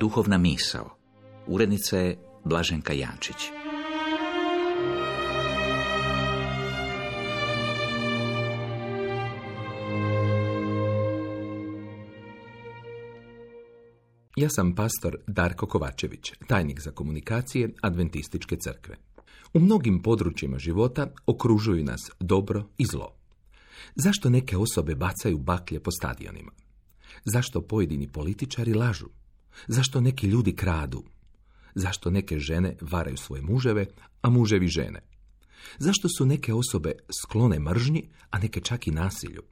Duhovna misao. Urednica je Blaženka Jančić. Ja sam pastor Darko Kovačević, tajnik za komunikacije Adventističke crkve. U mnogim područjima života okružuju nas dobro i zlo. Zašto neke osobe bacaju baklje po stadionima? Zašto pojedini političari lažu? Zašto neki ljudi kradu? Zašto neke žene varaju svoje muževe, a muževi žene? Zašto su neke osobe sklone mržnji, a neke čak i nasilju?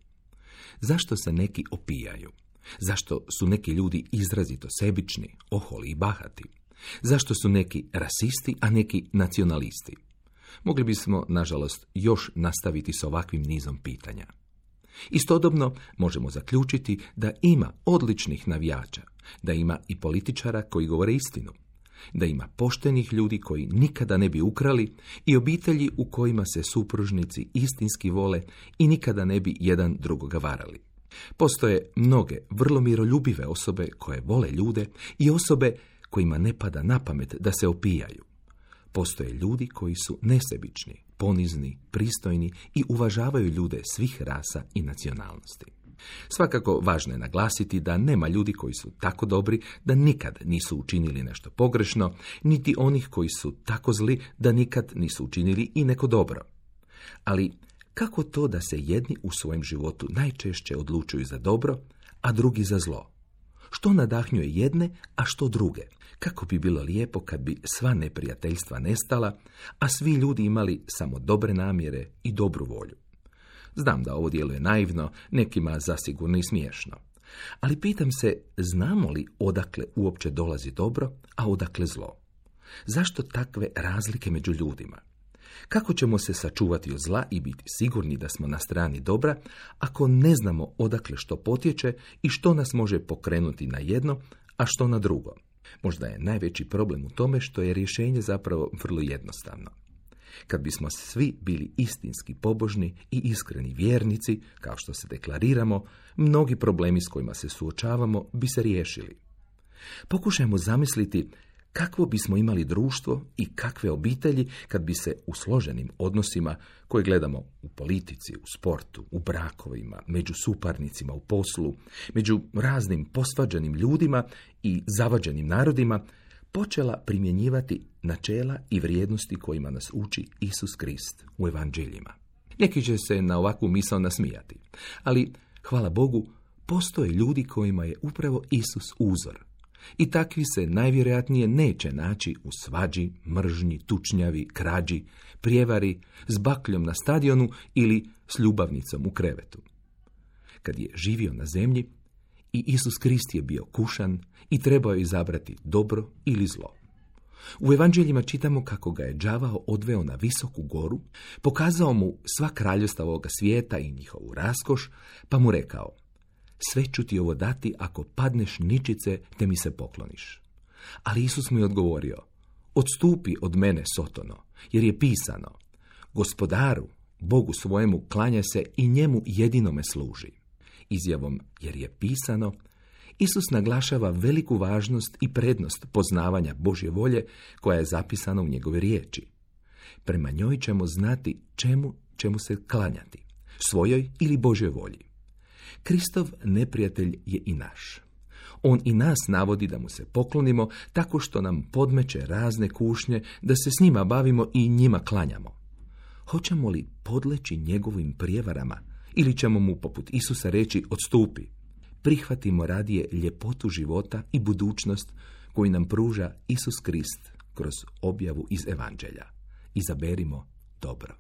Zašto se neki opijaju? Zašto su neki ljudi izrazito sebični, oholi i bahati? Zašto su neki rasisti, a neki nacionalisti? Mogli bismo, nažalost, još nastaviti s ovakvim nizom pitanja. Istodobno možemo zaključiti da ima odličnih navijača, da ima i političara koji govore istinu, da ima poštenih ljudi koji nikada ne bi ukrali i obitelji u kojima se supružnici istinski vole i nikada ne bi jedan drugoga varali. Postoje mnoge vrlo miroljubive osobe koje vole ljude i osobe kojima ne pada na pamet da se opijaju. Postoje ljudi koji su nesebični, ponizni, pristojni i uvažavaju ljude svih rasa i nacionalnosti. Svakako važno je naglasiti da nema ljudi koji su tako dobri da nikad nisu učinili nešto pogrešno, niti onih koji su tako zli da nikad nisu učinili i neko dobro. Ali kako to da se jedni u svojem životu najčešće odlučuju za dobro, a drugi za zlo? Što nadahnjuje jedne, a što druge? Kako bi bilo lijepo kad bi sva neprijateljstva nestala, a svi ljudi imali samo dobre namjere i dobru volju. Znam da ovo djeluje naivno, nekima zasigurno i smiješno. Ali pitam se, znamo li odakle uopće dolazi dobro, a odakle zlo? Zašto takve razlike među ljudima? Kako ćemo se sačuvati od zla i biti sigurni da smo na strani dobra, ako ne znamo odakle što potječe i što nas može pokrenuti na jedno, a što na drugo? Možda je najveći problem u tome što je rješenje zapravo vrlo jednostavno. Kad bismo svi bili istinski pobožni i iskreni vjernici, kao što se deklariramo, mnogi problemi s kojima se suočavamo bi se riješili. Pokušajmo zamisliti kakvo bismo imali društvo i kakve obitelji kad bi se u složenim odnosima koje gledamo u politici, u sportu, u brakovima, među suparnicima u poslu, među raznim posvađanim ljudima i zavađenim narodima, počela primjenjivati načela i vrijednosti kojima nas uči Isus Krist u evanđeljima. Neki će se na ovakvu misao nasmijati, ali, hvala Bogu, postoje ljudi kojima je upravo Isus uzor. I takvi se najvjerojatnije neće naći u svađi, mržnji, tučnjavi, krađi, prijevari, s bakljom na stadionu ili s ljubavnicom u krevetu. Kad je živio na zemlji, i Isus Krist je bio kušan i trebao je izabrati dobro ili zlo. U evanđeljima čitamo kako ga je đavao odveo na visoku goru, pokazao mu sva kraljevstva ovoga svijeta i njihovu raskoš, pa mu rekao: sve ću ti ovo dati ako padneš ničice te mi se pokloniš. Ali Isus mu je odgovorio: odstupi od mene, Sotono, jer je pisano: Gospodaru, Bogu svojemu klanja se i njemu jedinome služi. Izjavom jer je pisano, Isus naglašava veliku važnost i prednost poznavanja Božje volje koja je zapisana u njegove riječi. Prema njoj ćemo znati čemu se klanjati, svojoj ili Božjoj volji. Kristov neprijatelj je i naš. On i nas navodi da mu se poklonimo tako što nam podmeće razne kušnje, da se s njima bavimo i njima klanjamo. Hoćemo li podleći njegovim prijevarama ili ćemo mu poput Isusa reći: odstupi? Prihvatimo radije ljepotu života i budućnost koju nam pruža Isus Krist kroz objavu iz evanđelja. Izaberimo dobro.